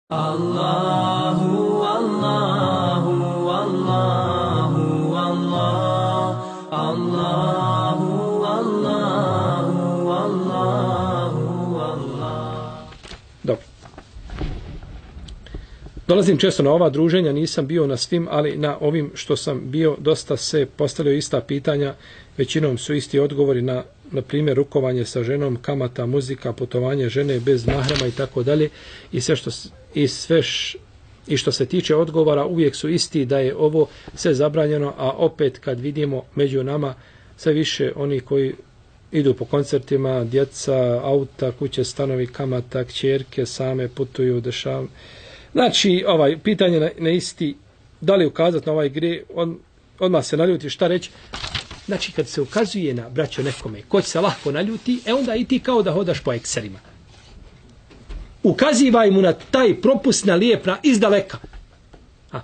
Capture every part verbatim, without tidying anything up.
Allahu, Allahu, Allahu, Allah, Allahu, Allahu, Allahu, Allah. Dobro. Dolazim često na ova druženja, nisam bio na svim, ali na ovim što sam bio dosta se postavljaju ista pitanja, većinom su isti odgovori na na primjer rukovanje sa ženom, kamata, muzika, putovanje žene bez mahrama i tako dalje i sve što i sve š, i što se tiče odgovora uvijek su isti da je ovo sve zabranjeno, a opet kad vidimo među nama sve više oni koji idu po koncertima, djeca, auta, kuće, stanovi, kamata, kćerke, same putuju, dešavaju. Znači, ovaj pitanje na, na isti, da li ukazati na ovaj gre, on, odmah se naljuti, šta reći? Znači, kad se ukazuje na braćo nekome, ko će se lahko naljuti, e onda i ti kao da hodaš po ekserima. Ukazivaj mu na taj propust na lijepna izdaleka. A.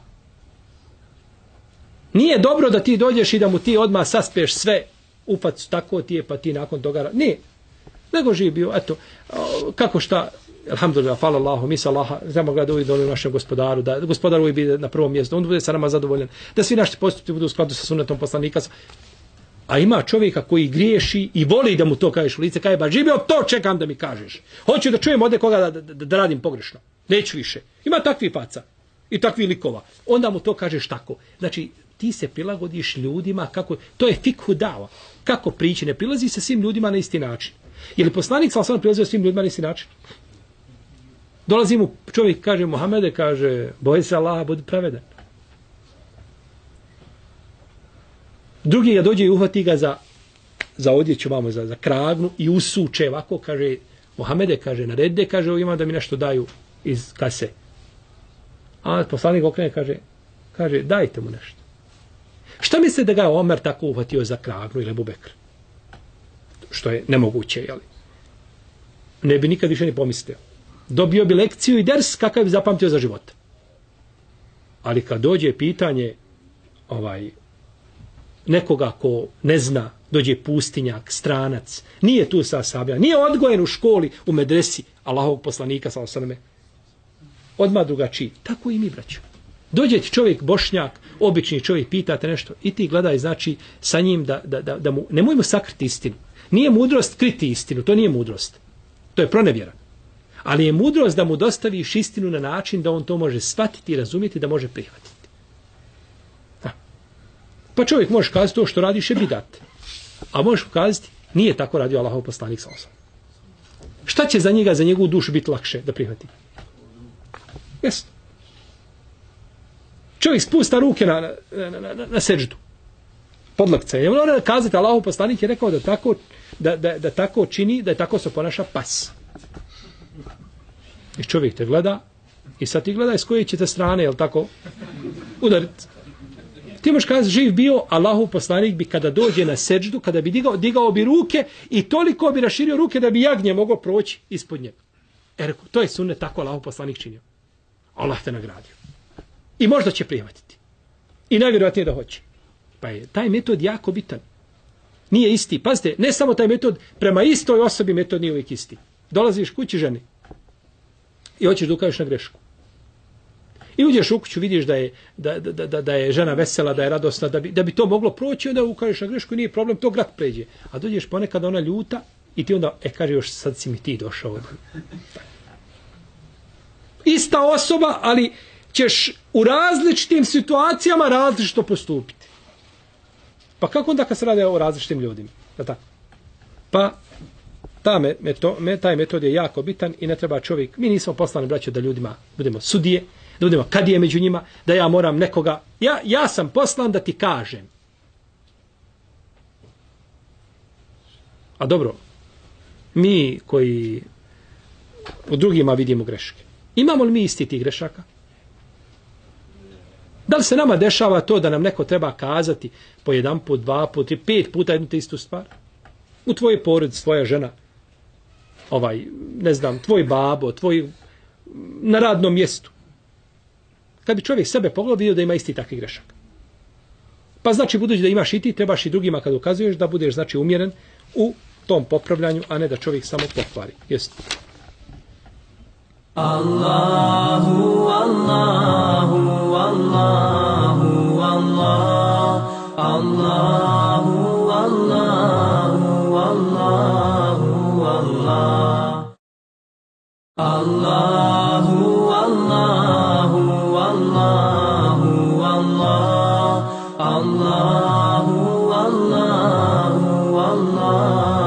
Nije dobro da ti dođeš i da mu ti odmah saspeš sve u facu, tako ti je, pa ti nakon toga... Nije. Nego živi bio, eto, kako šta, alhamdulillah, hvala Allahu, mi sa Allaha, znamo ga da uvijek dovoljno našem gospodaru, da gospodar uvijek bude na prvom mjestu, on bude sa nama zadovoljan, da svi naši postupci budu u skladu sa sunnetom poslanika. A ima čovjeka koji griješi i voli da mu to kažeš u lice, kaže, ba živio, to čekam da mi kažeš. Hoću da čujem ovdje koga da, da, da radim pogrešno. Neću više. Ima takvi faca i takvi likova. Onda mu to kažeš tako. Znači, ti se prilagodiš ljudima, kako, to je fikhu dava. Kako priči, ne prilazi se svim ljudima na isti način. Je li poslanik sallallahu alejhi ve sellem prilazio svim ljudima na isti način? Dolazi mu čovjek, kaže, Muhamede, kaže, boj se Allaha, budi pravedan. Drugi ga dođe i uhvati ga za, za odjeću, vamo, za, za kragnu i usuče ovako, kaže, Muhamede, kaže, narede, kaže, ima da mi nešto daju iz kase. A poslanik okrene, kaže, kaže, dajte mu nešto. Šta misle da ga Omer tako uhvatio za kragnu ili Ebu Bekr? Što je nemoguće, jeli? Ne bi nikad više ni pomislio. Dobio bi lekciju i ders kakav bi zapamtio za život. Ali kad dođe pitanje ovaj nekoga ko ne zna, dođe pustinjak, stranac, nije tu sa sablja, nije odgojen u školi, u medresi Allahovog poslanika, sallallahu alejhi ve selleme, odmah drugačiji. Tako i mi, braćo. Dođe ti čovjek bošnjak, obični čovjek, pitate nešto i ti gledaj, znači, sa njim da, da, da, da mu, nemoj mu sakriti istinu. Nije mudrost kriti istinu, to nije mudrost. To je pronevjera. Ali je mudrost da mu dostaviš istinu na način da on to može shvatiti i razumjeti, da može prihvatiti. Ha. Pa čovjek može kazati to što radiš je bidat. A možeš kazati, nije tako radio Allahov poslanik sallallahu alejhi ve sellem. Šta će za njega, za njegovu dušu biti lakše da prihvati? Jeste. Čovjek spusta ruke na, na, na, na, na seždu. Podlakce. Je mora kazati, Allahov poslanik je rekao da tako, da, da, da tako čini, da je tako se ponaša pas. I čovjek te gleda i sad ti gledaj s koje ćete strane, jel tako, udariti. Ti možeš kazati, živ bio, Allahov poslanik bi kada dođe na seždu, kada bi digao, digao bi ruke i toliko bi raširio ruke da bi jagnje mogao proći ispod njega. E rekao, to je sunnet, tako Allahov poslanik činio. Allah te nagradio. I možda će prihvatiti. I najvjerojatnije da hoće. Pa je taj metod jako bitan. Nije isti. Pazite, ne samo taj metod, prema istoj osobi metod nije uvijek isti. Dolaziš kući ženi i hoćeš da ukažeš na grešku. I uđeš u kuću, vidiš da je, da, da, da, da je žena vesela, da je radosna, da bi, da bi to moglo proći, onda ukažeš na grešku i nije problem, to grad pređe. A dođeš ponekad ona ljuta i ti onda, e, kaže još, sad si mi ti došao. Ista osoba, ali ćeš u različitim situacijama različito postupiti. Pa kako onda kad se radi o različitim ljudima? Pa ta me, meto, me, taj metod je jako bitan i ne treba čovjek, mi nismo poslani, braćo, da ljudima budemo sudije, da budemo kadije među njima, da ja moram nekoga, ja, ja sam poslan da ti kažem. A dobro, mi koji u drugima vidimo greške, imamo li mi isti tih grešaka? Da li se nama dešava to da nam neko treba kazati po jedan put, dva put, tri, pet puta jednu te istu stvar? U tvoje porodice, tvoja žena, ovaj, ne znam, tvoj babo, tvoj, na radnom mjestu. Kad bi čovjek sebe pogledao, vidio da ima isti takvi grešak. Pa znači, budući da imaš i ti, trebaš i drugima kad ukazuješ da budeš, znači, umjeren u tom popravljanju, a ne da čovjek samo pokvari. Jeste. Allahu Allahu, Allahu, Allahu, Allah. Allahu, Allahu, Allahu, Allah. Allahu, Allahu, Allah.